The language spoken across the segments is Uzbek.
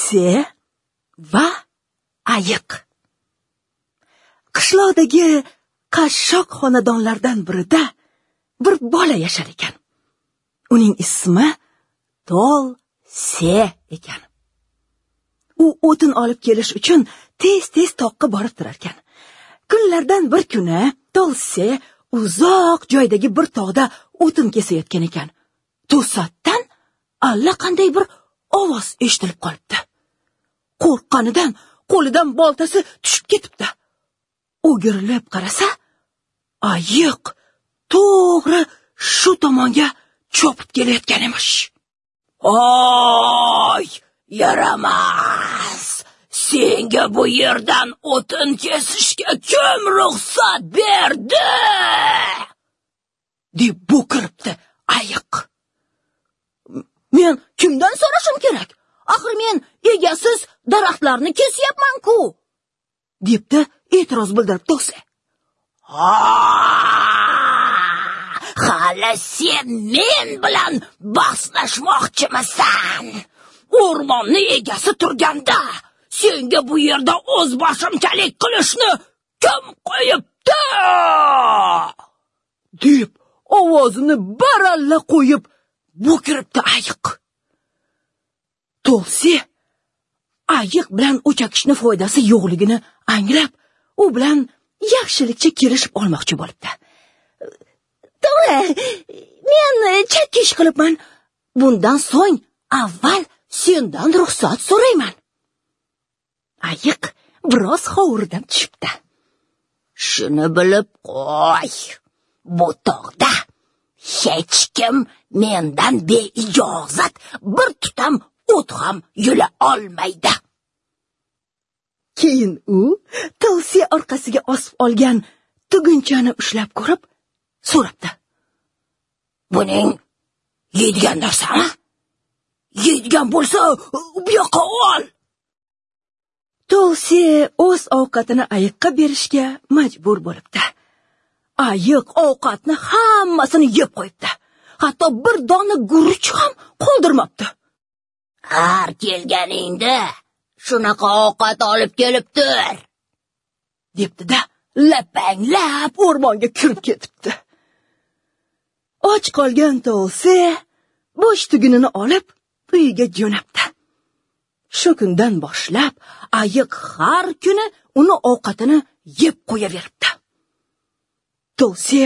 Tolse va ayiq. Qishloqdagi qashshoq xonadonlardan birida bir bola yashar ekan. Uning ismi Tolse ekan. U o'tin olib kelish uchun tez-tez toqqa borib turar ekan. Kunlardan bir kuni Tolse uzoq joydagi bir tog'da o'tin kesayotgan ekan. To'satdan allaqanday bir ovoz eshitilib qolibdi. Qo'rqqanidan qo'lidan boltasi tushib ketibdi. O'girilib qarasa, ayiq to'g'ri shu tomonga chopib kelayotgan emish. "Oy, yaramas! Senga bu yerdan o'tin kesishga kim ruxsat berdi?" deb bo'kiribdi ayiq. "Men kimdan so'rashim kerak? Axir men egasiz daraxtlarni kesyapman-ku!" debdi e'tiroz bildirib Tolse. "Ha, hali sen men bilan bahslashmoqchimisan? O'rmonni egasi turganda senga bu yerda o'z boshimchalik qilishni kim qo'yibdi?" deb ovozini baralla qo'yib bo'kiribdi ayiq. Tolse ayiq bilan o'chakishni foydasi yo'qligini anglab, u bilan yaxshilikcha kelishib olmoqchi bo'libdi. "To'g'ri, men chakka ish qilibman. Bundan so'ng avval sendan ruxsat so'rayman." Ayiq biroz hovuridan tushibdi. "Shuni bilib qo'y, bu tog'da hech kim mendan beijozat bir tutam o't ham yula olmaydi." Keyin u Tolse orqasiga osib olgan tugunchani ushlab ko'rib so'rabdi. "Buning yeydigan narsami? Yeydigan bo'lsa, bu yoqqa ol." Tolse o'z ovqatini ayiqqa berishga majbur bo'libdi. Ayiq ovqatni hammasini yeb qo'yibdi. Hatto bir dona guruch ham qoldirmabdi. "Har kelganingda shunaqa ovqat olib kelib tur," debdi-da, lapanglab o'rmonga kirib ketibdi. Och qolgan Tolse bo'sh tugunini olib uyiga jo'nabdi. Shu kundan boshlab ayiq har kuni uni ovqatini yeb qo'yaveribdi. Tolse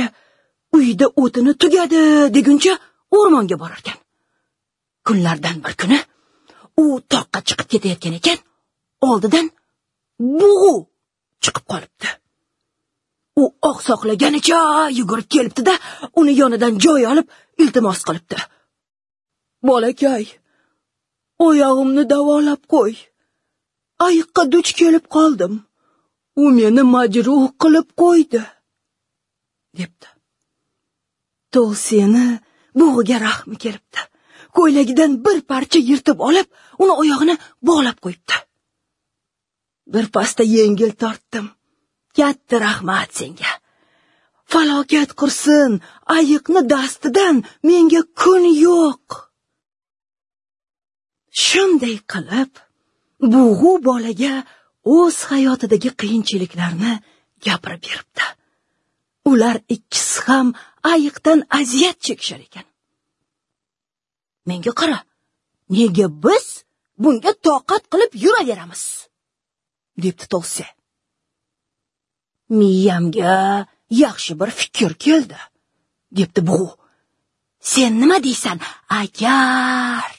uyda o'tini tugadi deguncha o'rmonga borarkan. Kunlardan bir kuni u toqqa chiqib ketayotgan ekan, oldidan bug'u chiqib qolibdi. U oqsoqlaganicha yugurib kelibdi-da, uni yonidan joy olib iltimos qilibdi. "Bolakay, oyog'imni davolab qo'y. Ayiqqa duch kelib qoldim. U meni majruh qilib qo'ydi," debdi. Tolseni bug'uga rahmi kelibdi. Ko'ylagidan bir parcha yirtib olib, uni oyog'ini bog'lab qo'yibdi. "Bir pasda yengil tortdim. Katta rahmat senga. Falokat qursin, ayiqni dastidan menga kun yo'q." Shunday qilib, bug'u bolaga o'z hayotidagi qiyinchiliklarni gapirib beribdi. Ular ikkisi ham ayiqdan aziyat chekishar ekan. "Menga qara, nega biz bunga toqat qilib yuraveramiz?" debdi Tolse. "Miyamga yaxshi bir fikr keldi," debdi bug'u. "Sen nima deysan, agar?"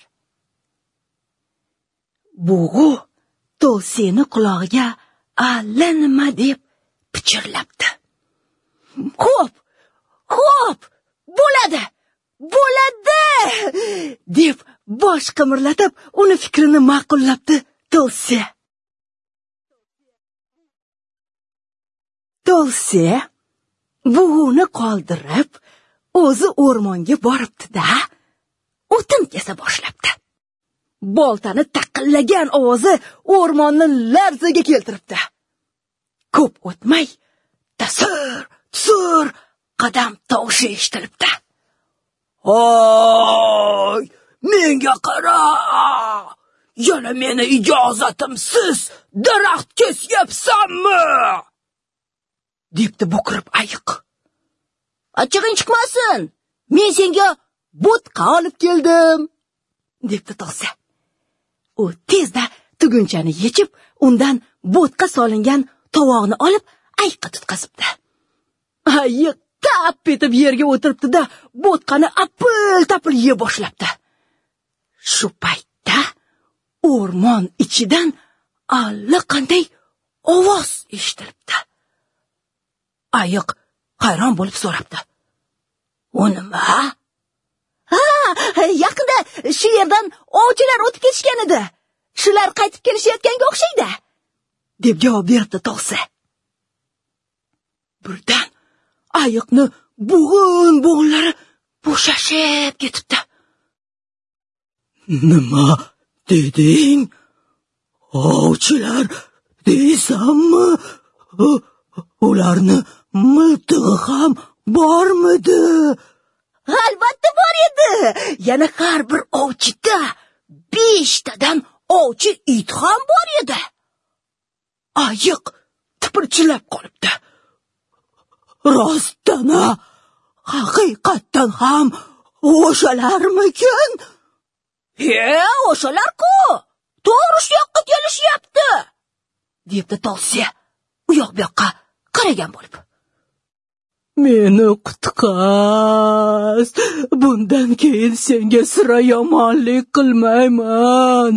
Bug'u Tolseni qulog'iga allanima deb pichirlabdi. "Xo'p, xo'p, bo'ladi, bo'ladi!" deb bosh qimirlatib, uni fikrini ma'qullabdi Tolse. Tolse bug'uni qoldirib, o'zi o'rmonga boribdi-da, o'tin kesa boshlabdi. Boltani taqillagan ovozi o'rmonni larzaga keltiribdi. Ko'p o'tmay tasir tusur qadam tovushi eshitilibdi. "Hoy, menga qara! Yana meni ijozatimsiz daraxt kesyapsanmi? Debdi bo'kirib ayiq. Achchig'ing chiqmasin. Men senga bo'tqa olib keldim, debdi Tolsa. U tezda tugunchani yechib, undan bo'tqa solingan tovoqni olib ayiqqa tutqazibdi. Ayiq tap etib yerga o'tiribdi-da, bo'tqani apil-tapil yeb boshlabdi. Shu paytda o'rmon ichidan allaqanday ovoz eshitilibdi. Ayiq hayron bo'lib so'rabdi. "U nima?" "Ha, yaqinda shu yerdan ovchilar o'tib ketishgan edi. Shular qaytib kelishayotganga o'xshaydi", deb javob beribdi Tolsa. Birdan ayiqni bo'g'in-bo'g'inlari bo'shashib ketibdi. "Nima deding? Ovchilar deysanmi? Ularni miltig'i ham bormidi?" "Albatta bor edi. Yana har bir ovchida 5 tadan ovchi it ham bor edi." Ayiq tipirchilab qolibdi. "Rostdan-a, haqiqatdan ham o'shalarmikin?" "He, o'shalar-ku. To'g'ri shu yoqqa kelishyapti", debdi Tolsa u yoq bu yoqqa qaragan bo'lib. "Meni qutqaz. Bundan keyin senga sira yomonlik qilmayman.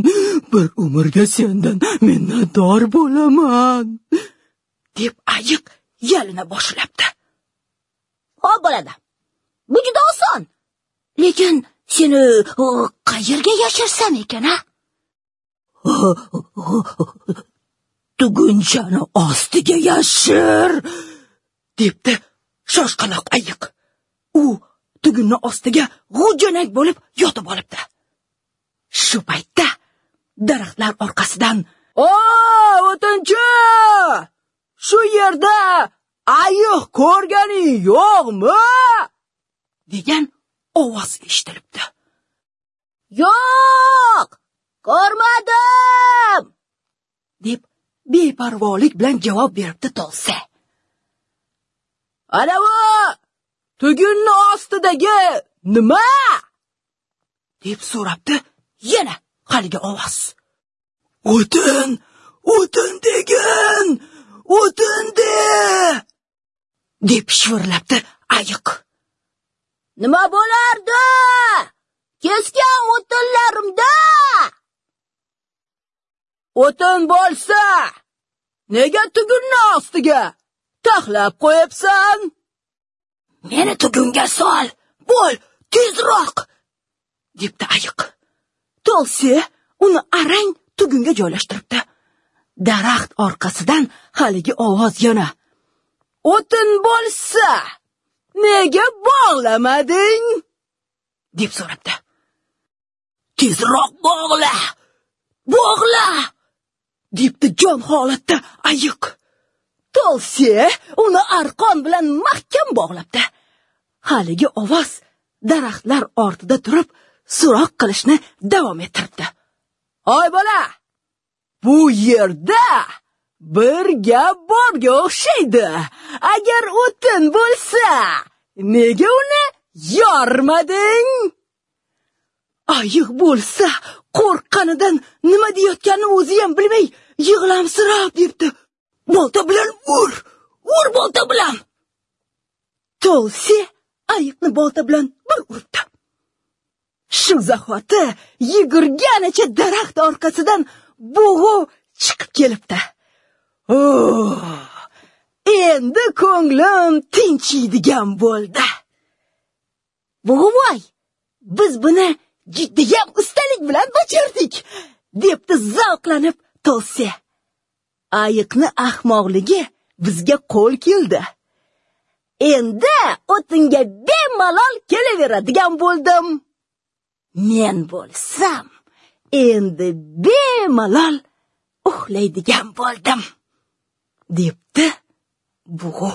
Bir umrga sendan minnatdor bo'laman", deb ayiq yalina boshlabdi. "Xo'p bo'ladi. Bu juda oson. Lekin seni qayerga yashirsam ekan, a?" "Tugunchani ostiga yashir", debdi shoshqaloq ayiq. U tugunni ostiga g'ujanak bo'lib yotib olibdi. Shu paytda daraxtlar orqasidan: "O, o'tinchi! Shu yerda ayiq ko'rganing yo'qmi?" degan ovoz eshitilibdi. "Yo'q, ko'rmadim", deb beparvolik bilan javob beribdi Tolsa. "Ana bu tugunni ostidagi nima?" deb so'rabdi yana haligi ovoz. "O'tin, o'tin degin, o'tin de", deb shivirlabdi ayiq. "Nima bo'lardi? Kesgan o'tinlarimda." "O'tin bo'lsa, nega tugunni ostiga taxlab qo'yibsan?" "Meni tugunga sol, bo'l, tezroq", debdi ayiq. Tolsa uni arang tugunga joylashtiribdi. Daraxt orqasidan haligi ovoz yana: "O'tin bo'lsa, nega bog'lamading?" deb so'rabdi. "Tezroq bog'la, bog'la", debdi jon holatda ayiq. Tolsa uni arqon bilan mahkam bog'labdi. Haligi ovoz daraxtlar ortida turib so'roq qilishni davom ettiribdi. "Oy bola, bu yerda bir gap borga o'xshaydi. Agar o'tin bo'lsa, nega uni yormading?" Ayiq bo'lsa qo'rqqanidan nima deyotganini o'zi ham bilmay yig'lamsirab debdi: "Bolta bilan ur, ur bolta bilan." Tolsa ayiqni bolta bilan bir uribdi. Shu zahoti yugurganicha daraxt orqasidan bug'u chiqib kelibdi. "Endi ko'nglim tinchiydigan bo'ldi. Bug'uvoy, biz buni judayam ustalik bilan bajardik", debdi zavqlanib Tolsa. "Ayiqni ahmoqligi bizga qo'l keldi. Endi o'tinga bemalol kelaveradigan bo'ldim. Men bo'lsam, endi bemalol uxlaydigan bo'ldim", debdi bug'u.